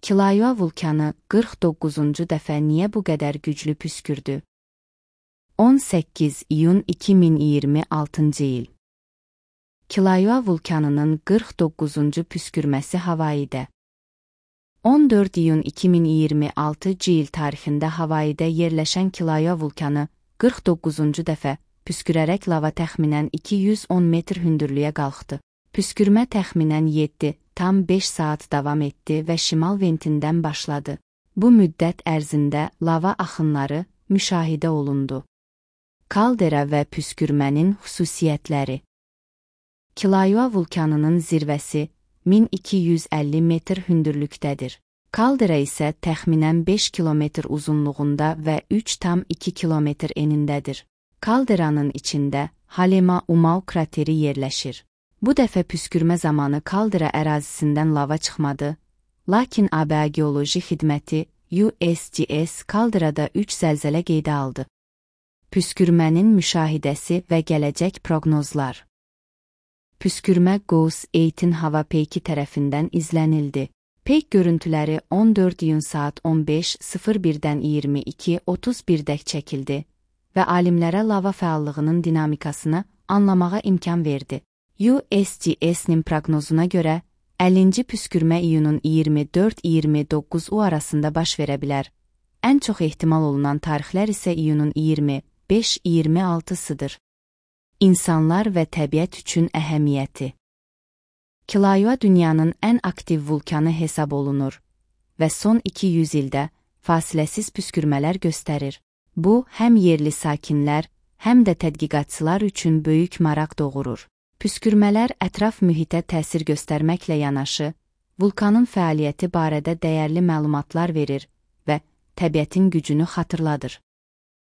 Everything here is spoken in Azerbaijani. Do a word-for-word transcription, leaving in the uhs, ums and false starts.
Kilauea vulkanı qırx doqquzuncu dəfə niyə bu qədər güclü püskürdü? on səkkiz iyun iki min iyirmi altıncı il. Kilauea vulkanının qırx doqquzuncu püskürməsi Havaidə. on dörd iyun iki min iyirmi altıncı il tarixində Havaidə yerləşən Kilauea vulkanı qırx doqquzuncu dəfə püskürərək lava təxminən iki yüz on metr hündürlüyə qalxdı. Püskürmə təxminən yeddi tam beş saat davam etdi və şimal ventindən başladı. Bu müddət ərzində lava axınları müşahidə olundu. Kaldera və püskürmənin xüsusiyyətləri. Kilauea vulkanının zirvəsi min iki yüz əlli metr hündürlükdədir. Kaldera isə təxminən beş kilometr uzunluğunda və üç tam iki kilometr enindədir. Kalderanın içində Halema-Umau krateri yerləşir. Bu dəfə püskürmə zamanı kaldera ərazisindən lava çıxmadı, lakin A B A Geoloji Xidməti U S G S kalderada üç zəlzələ qeydə aldı. Püskürmənin müşahidəsi və gələcək proqnozlar. Püskürmə Gauss Eightin hava peyki tərəfindən izlənildi. Peyk görüntüləri on dörd iyun saat on beş sıfır birdən iyirmi iki otuz birdək çəkildi və alimlərə lava fəallığının dinamikasını anlamağa imkan verdi. U S G S-nin proqnozuna görə, əllinci püskürmə iyunun iyirmi dörd iyirmi doqquz arasında baş verə bilər. Ən çox ehtimal olunan tarixlər isə iyunun iyirmi beş iyirmi altısıdır. İnsanlar və təbiət üçün əhəmiyyəti. Kilauea dünyanın ən aktiv vulkanı hesab olunur və son iki yüz ildə fasiləsiz püskürmələr göstərir. Bu, həm yerli sakinlər, həm də tədqiqatçılar üçün böyük maraq doğurur. Püskürmələr ətraf mühitə təsir göstərməklə yanaşı, vulkanın fəaliyyəti barədə dəyərli məlumatlar verir və təbiətin gücünü xatırladır.